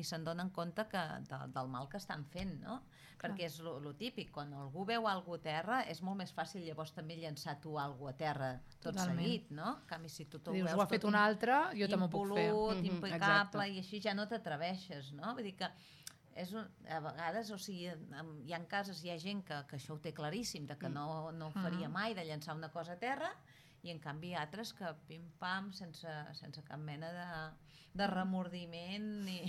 i se'n donen compte del mal que estan fent, no? Perquè és lo típic, quan algú veu alguna a terra és molt més fàcil llavors també llançar tu alguna a terra tot seguit, no? En canvi, si tu dius, ho ha fet un altre, jo també ho puc fer. Impolut, impecable, i així ja no t'atreveixes, no? Vull dir que a vegades, o sigui, hi ha cases, hi ha gent que això ho té claríssim, de que no ho faria mai, de llançar una cosa a terra, i en canvi altres que pim-pam, sense cap mena de remordiment ni